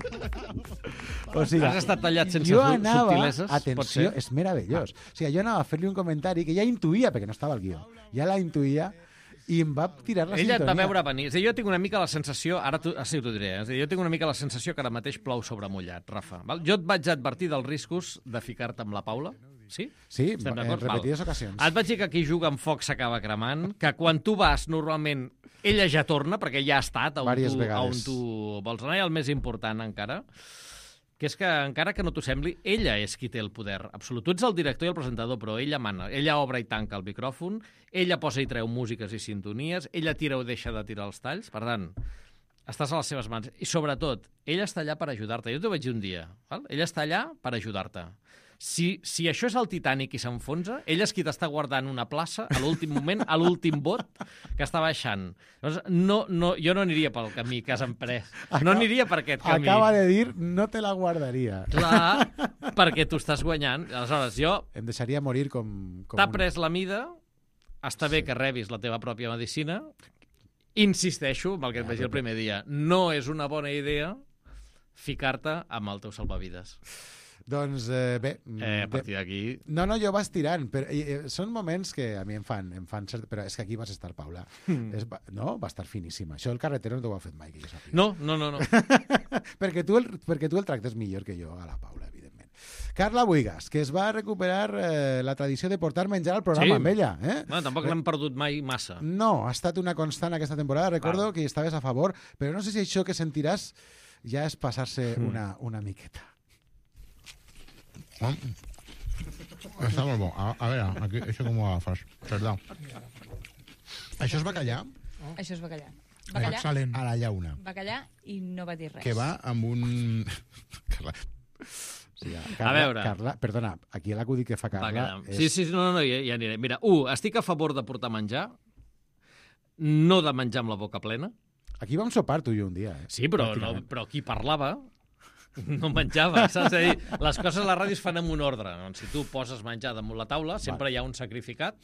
O sigui, Has estat tallat sense jo su- anava, subtileses, pot atenció, ser? és meravellós. O sigui, jo anava a fer-li un comentari que ja intuïa, perquè no estava al guió, ja la intuïa, i em va tirar la Ella et sintonia. va veure venir. És a dir, jo tinc una mica la sensació, ara tu, ah, sí, t'ho diré, eh? És a dir, jo tinc una mica la sensació que ara mateix plou sobre mullat, Rafa. Val? Jo et vaig advertir dels riscos de ficar-te amb la Paula. Sí? Sí, Estem en d'acord? Val. repetides ocasions. Et vaig dir que qui juga amb foc s'acaba cremant, que quan tu vas, normalment, ella ja torna, perquè ja ha estat on Vàries tu, vegades. on tu vols anar, i el més important encara, que és que, encara que no t'ho sembli, ella és qui té el poder absolut. Tu ets el director i el presentador, però ella mana. Ella obre i tanca el micròfon, ella posa i treu músiques i sintonies, ella tira o deixa de tirar els talls. Per tant, estàs a les seves mans. I, sobretot, ella està allà per ajudar-te. Jo t'ho vaig dir un dia. Val? Ella està allà per ajudar-te. Si, si això és el Titanic i s'enfonsa, ella és qui t'està guardant una plaça a l'últim moment, a l'últim bot que està baixant. Llavors, no, no, jo no aniria pel camí que has emprès. No aniria per aquest camí. Acaba de dir, no te la guardaria. Clar, perquè tu estàs guanyant. Aleshores, jo... Em deixaria morir com... com T'ha un- pres la mida, està bé que rebis la teva pròpia medicina. Insisteixo, amb el que et vaig dir el primer dia, no és una bona idea ficar-te amb el teu salvavides. Doncs eh, bé... Eh, a partir d'aquí... No, no, jo vas tirant, però eh, són moments que a mi em fan, em fan cert... Però és que aquí vas estar, Paula. Mm. És, no? Va estar finíssima. Això el carretero no t'ho ha fet mai, que jo sàpiga. No, no, no. no. perquè, tu el, perquè tu el tractes millor que jo a la Paula, evidentment. Carla Buigas, que es va recuperar eh, la tradició de portar menjar al programa sí. amb ella. Eh? Bueno, tampoc l'hem perdut mai massa. No, ha estat una constant aquesta temporada. Recordo Val. que hi estaves a favor, però no sé si això que sentiràs ja és passar-se mm. una, una miqueta. Oh. Està molt bo. A, a veure, aquí, això com ho agafes? Perdó. Això és bacallà? Oh. Això és bacallà. Bacallà? Excel·lent. Ara hi ha una. Bacallà i no va dir res. Que va amb un... Carla. Sí, Carla, a veure. Carla, perdona, aquí l'acudit que fa Carla... És... Sí, sí, no, no, ja, ja aniré. Mira, u, estic a favor de portar menjar, no de menjar amb la boca plena. Aquí vam sopar tu i jo un dia, eh? Sí, però, no, però qui parlava no menjava, saps? És a dir, les coses a la ràdio es fan amb un ordre. Doncs si tu poses menjar damunt la taula, sempre Val. hi ha un sacrificat,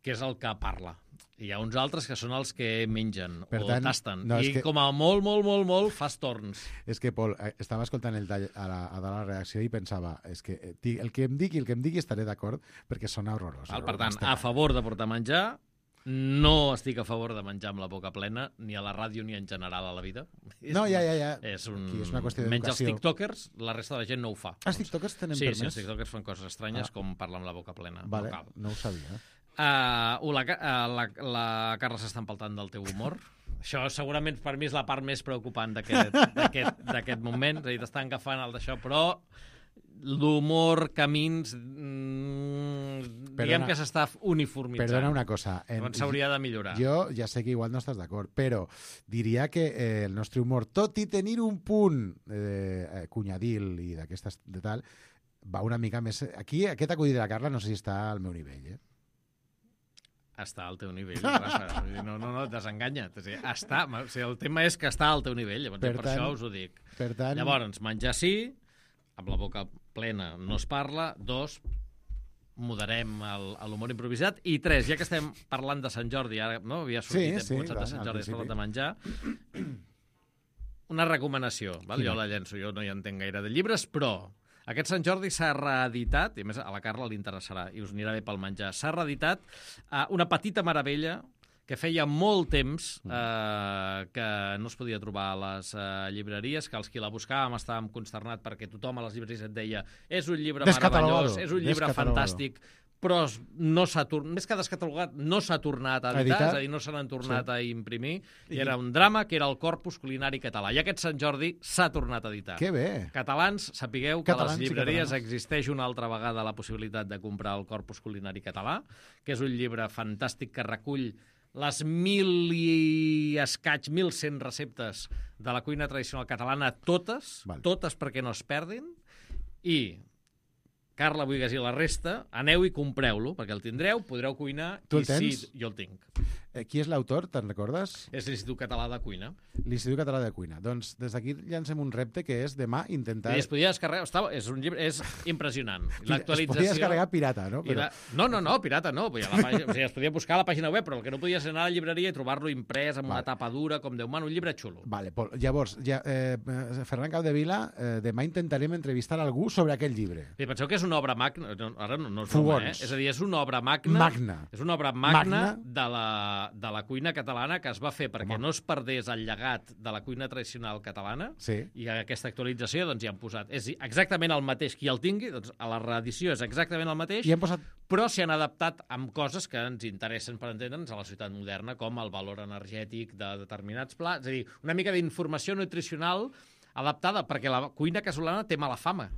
que és el que parla. Hi ha uns altres que són els que mengen per o tant, tasten. No, I que... com a molt, molt, molt, molt, fas torns. És que, Pol, estava escoltant el tall a la, a la reacció i pensava, és que el que em digui, el que em digui estaré d'acord perquè sona horrorós. Val, per tant, a favor de portar menjar, no estic a favor de menjar amb la boca plena, ni a la ràdio ni en general a la vida. No, ja, ja, ja. És, un... és una qüestió d'educació. Menys els tiktokers, la resta de la gent no ho fa. Els tiktokers tenen sí, permès? Sí, els tiktokers fan coses estranyes ah. com parlar amb la boca plena. Vale, no, no ho sabia. Uh, la, uh, la, la Carla s'està empaltant del teu humor. Això segurament per mi és la part més preocupant d'aquest moment. És a dir, t'estan agafant el d'això, però l'humor, camins, mmm, diguem que s'està uniformitzant. Perdona una cosa. Doncs s'hauria de millorar. Jo ja sé que igual no estàs d'acord, però diria que eh, el nostre humor, tot i tenir un punt eh, cunyadil i d'aquestes de tal, va una mica més... Aquí, aquest acudit de la Carla no sé si està al meu nivell, eh? Està al teu nivell. No, no, no, desenganya't. O sigui, està, o sigui, el tema és que està al teu nivell, llavors per, per tant, això us ho dic. Per tant... Llavors, menjar sí, amb la boca plena no es parla, dos, moderem l'humor improvisat, i tres, ja que estem parlant de Sant Jordi, ara no havia sortit, sí, hem sí, començat de Sant Jordi, has parlat de menjar, una recomanació, val? Jo la llenço, jo no hi entenc gaire de llibres, però aquest Sant Jordi s'ha reeditat, i a més a la Carla li interessarà, i us anirà bé pel menjar, s'ha reeditat uh, una petita meravella que feia molt temps eh, que no es podia trobar a les eh, llibreries, que els qui la buscàvem estàvem consternats perquè tothom a les llibreries et deia és un llibre meravellós, és un llibre fantàstic, però no s'ha tornat, més que descatalogat, no s'ha tornat a editar, editar, és a dir, no se n'han tornat sí. a imprimir, i era un drama que era el Corpus Culinari Català. I aquest Sant Jordi s'ha tornat a editar. Que bé! Catalans, sapigueu que a les llibreries existeix una altra vegada la possibilitat de comprar el Corpus Culinari Català, que és un llibre fantàstic que recull les mil i escaig, mil cent receptes de la cuina tradicional catalana, totes, Val. totes perquè no es perdin, i Carla Buigas i la resta, aneu i compreu-lo, perquè el tindreu, podreu cuinar, tu el i tens? sí, jo el tinc. Eh, qui és l'autor, te'n recordes? És l'Institut Català de Cuina. L'Institut Català de Cuina. Doncs des d'aquí llancem un repte que és demà intentar... I es podia descarregar... Estava, és un llibre... És impressionant. L'actualització... Es podia descarregar pirata, no? Però... La... No, no, no, pirata no. La pàgina... o sigui, es podia buscar a la pàgina web, però el que no podies anar a la llibreria i trobar-lo imprès amb vale. una tapa dura, com Déu mana, un llibre xulo. Vale, Pol. Llavors, ja, eh, Ferran Capdevila, eh, demà intentarem entrevistar algú sobre aquell llibre. I penseu que és una obra magna... No, ara no, no és broma, eh? És a dir, és una obra magna... Magna. És una obra magna, magna. De, la, de la cuina catalana que es va fer perquè Home. no es perdés el llegat de la cuina tradicional catalana, sí. i aquesta actualització doncs hi han posat. És exactament el mateix. Qui el tingui, doncs a la reedició és exactament el mateix, I han posat... però s'hi han adaptat amb coses que ens interessen per entendre'ns a la societat moderna, com el valor energètic de determinats plats. És a dir, una mica d'informació nutricional adaptada, perquè la cuina casolana té mala fama.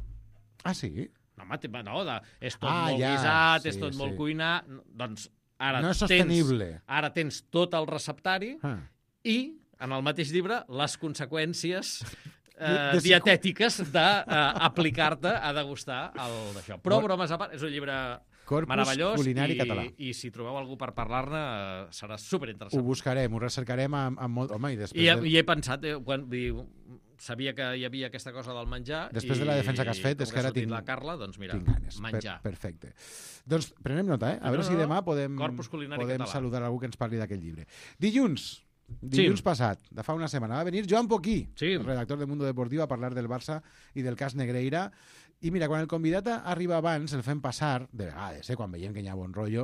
Ah, sí? No, home, no, de, és tot ah, molt ja, guisat, sí, és tot sí. molt cuinar... Doncs ara no és sostenible. Tens, ara tens tot el receptari ah. i, en el mateix llibre, les conseqüències eh, de dietètiques d'aplicar-te a degustar el d'això. Però, bon. bromes a part, és un llibre Corpus meravellós culinari i, català. I si trobeu algú per parlar-ne eh, serà superinteressant. Ho buscarem, ho recercarem amb, amb molt... Home, i després... I, de... i he pensat, eh, quan, diu, sabia que hi havia aquesta cosa del menjar. Després i, de la defensa que has fet, és que ara tinc... la Carla, doncs mira, tinc ganes. menjar. Per, perfecte. Doncs prenem nota, eh? A no, veure no, si demà podem, podem català. saludar algú que ens parli d'aquest llibre. Dilluns, Dilluns sí. passat, de fa una setmana, va venir Joan Poquí, sí. redactor de Mundo Deportivo, a parlar del Barça i del cas Negreira. I mira, quan el convidat arriba abans, el fem passar, de vegades, eh, quan veiem que hi ha bon rotllo,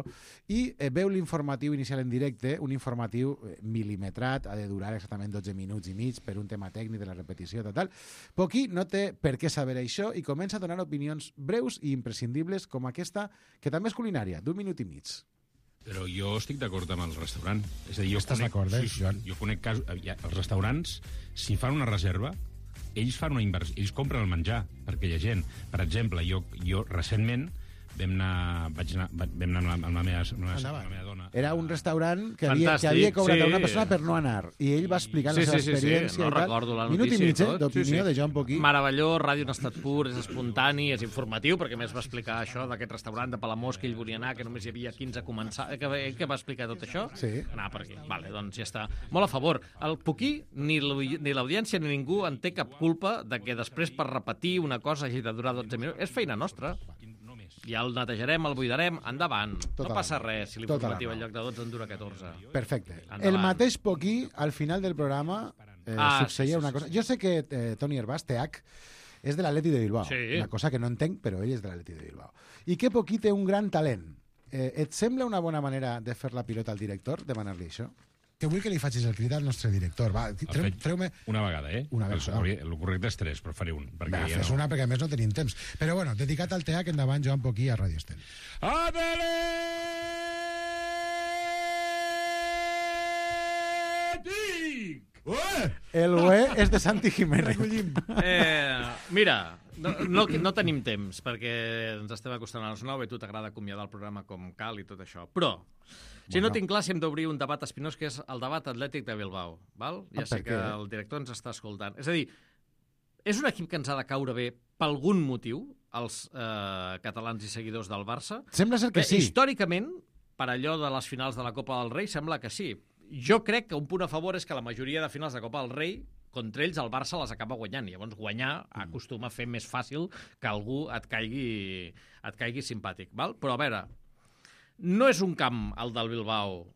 i eh, veu l'informatiu inicial en directe, un informatiu eh, mil·limetrat, ha de durar exactament dotze minuts i mig per un tema tècnic de la repetició, tal, tal. Poquí no té per què saber això i comença a donar opinions breus i imprescindibles com aquesta, que també és culinària, d'un minut i mig. Però jo estic d'acord amb el restaurant. És a dir, jo Estàs conec, d'acord, eh, sí, Joan? Jo conec casos... Els restaurants, si fan una reserva, ells fan una inversió, ells compren el menjar per aquella gent. Per exemple, jo, jo recentment vam anar, vaig anar, vam anar amb, la, amb, la meva, amb, la, amb la meva dona. Era un restaurant que havia, que havia cobrat sí. a una persona per no anar. I ell va explicar sí, la seva sí, sí, experiència sí. No i tal. recordo la Minut notícia i mig, eh, d'opinió sí, sí. de Joan Poquí. Meravellós, ràdio en estat pur, és espontani, és informatiu, perquè més va explicar això d'aquest restaurant de Palamós que ell volia anar, que només hi havia quinze començar... Que, ell que va explicar tot això? Sí. Anar per aquí. Vale, doncs ja està. Molt a favor. El Poquí, ni l'audiència ni ningú en té cap culpa de que després per repetir una cosa hagi de durar dotze minuts. És feina nostra. Ja el netejarem, el buidarem, endavant. Tota no passa la res si l'informatiu en lloc de dotze en dura catorze. Perfecte. Endavant. El mateix Poquí, al final del programa, eh, Ah, succeïa sí, sí, una sí, cosa... sí. Jo sé que eh, Toni Hervás, T H, és de l'Atleti de Bilbao. Sí. Una cosa que no entenc, però ell és de l'Atleti de Bilbao. I que Poquí té un gran talent. Eh, et sembla una bona manera de fer la pilota al director, demanar-li això? Que vull que li facis el crit al nostre director. Va, treu, treu-me... Una vegada, eh? Una vegada. El, el correcte és tres, però faré un. Va, Ja fes no... una, perquè a més no tenim temps. Però bueno, dedicat al T H, endavant, Joan Poquí, a Ràdio Estel. El ué és de Santi Jiménez. Eh, mira, no, no, no tenim temps, perquè ens estem acostant a les nou i a tu t'agrada acomiadar el programa com cal i tot això. Però, si bueno. no tinc clar, si hem d'obrir un debat espinós, que és el debat atlètic de Bilbao. Val? Ja sé que el director ens està escoltant. És a dir, és un equip que ens ha de caure bé per algun motiu, els eh, catalans i seguidors del Barça? Sembla ser que bé, sí. Històricament, per allò de les finals de la Copa del Rei, sembla que sí. Jo crec que un punt a favor és que la majoria de finals de Copa del Rei, contra ells el Barça les acaba guanyant. Llavors guanyar acostuma a fer més fàcil que algú et caigui, et caigui simpàtic. Val? Però a veure, no és un camp, el del Bilbao,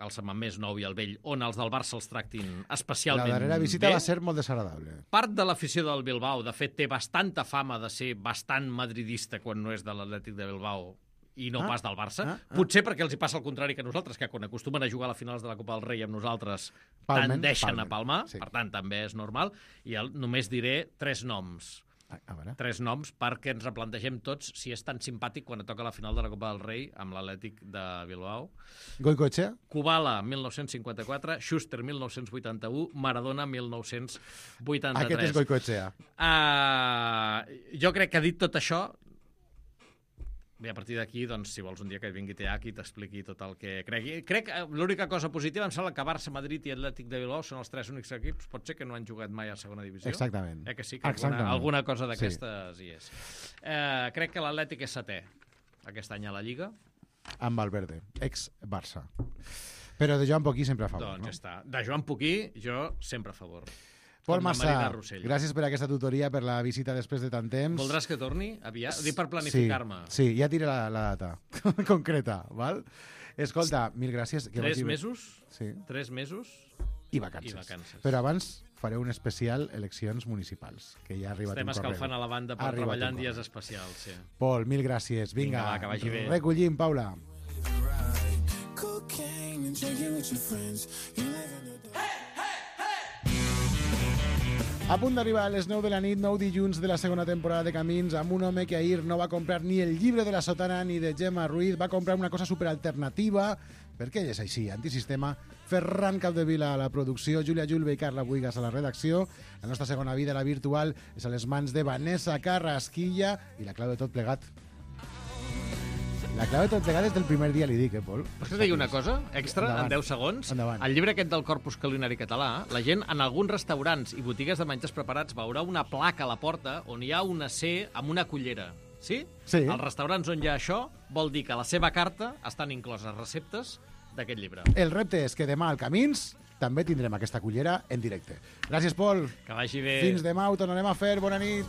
el Samamés Nou i el Vell, on els del Barça els tractin especialment bé. La darrera visita bé. Va ser molt desagradable. Part de l'afició del Bilbao, de fet, té bastanta fama de ser bastant madridista quan no és de l'Atlètic de Bilbao i no ah, pas del Barça. Ah, ah. Potser perquè els hi passa el contrari que nosaltres, que quan acostumen a jugar a les finals de la Copa del Rei amb nosaltres Palmen, tendeixen palmen. a palmar, sí. Per tant, també és normal. I el, només diré tres noms. A, a veure. Tres noms perquè ens replantegem tots si és tan simpàtic quan toca la final de la Copa del Rei amb l'Atlètic de Bilbao. Goicoechea? Kubala, mil nou-cents cinquanta-quatre, Schuster, mil nou-cents vuitanta-u, Maradona, mil nou-cents vuitanta-tres. Aquest és Goicoechea. Uh, jo crec que ha dit tot això. Bé, a partir d'aquí, doncs, si vols un dia que vingui T H i t'expliqui tot el que cregui. Crec que l'única cosa positiva em sembla que Barça, Madrid i Atlètic de Bilbao són els tres únics equips, pot ser que no han jugat mai a segona divisió. Exactament. Eh que sí, que alguna, alguna cosa d'aquestes sí. hi és. Eh, crec que l'Atlètic és setè aquest any a la Lliga. Amb Valverde, ex-Barça. Però de Joan Poquí sempre a favor, doncs no? ja està. De Joan Poquí, jo sempre a favor. Pol Massà, gràcies per aquesta tutoria, per la visita després de tant temps. Voldràs que torni aviat? Dic per planificar-me. Sí, sí, ja diré la, la data concreta, val? Escolta, mil gràcies. Que Tres mesos? Sí. Tres mesos? I vacances. I vacances. Però abans faré un especial eleccions municipals, que ja ha arribat Estem un correu. Estem escalfant a la banda per treballar en dies especials, sí. Pol, mil gràcies. Vinga, Vinga va, que vagi bé. Recollim, Paula. A punt d'arribar a les nou de la nit, nou dilluns de la segona temporada de Camins, amb un home que ahir no va comprar ni el llibre de la sotana ni de Gemma Ruiz, va comprar una cosa superalternativa, perquè ell és així, antisistema. Ferran Capdevila a la producció, Júlia Julve i Carla Buigas a la redacció. La nostra segona vida, la virtual, és a les mans de Vanessa Carrasquilla i la clau de tot plegat. La clau de tot plegat és del primer dia, li dic, eh, Pol? Pots dir una cosa extra, endavant, en deu segons? Endavant. El llibre aquest del Corpus Culinari Català, la gent en alguns restaurants i botigues de menjars preparats veurà una placa a la porta on hi ha una C amb una cullera. Sí? Sí. Als restaurants on hi ha això, vol dir que a la seva carta estan incloses receptes d'aquest llibre. El repte és que demà al Camins també tindrem aquesta cullera en directe. Gràcies, Pol. Que vagi bé. Fins demà, ho tornarem a fer. Bona nit.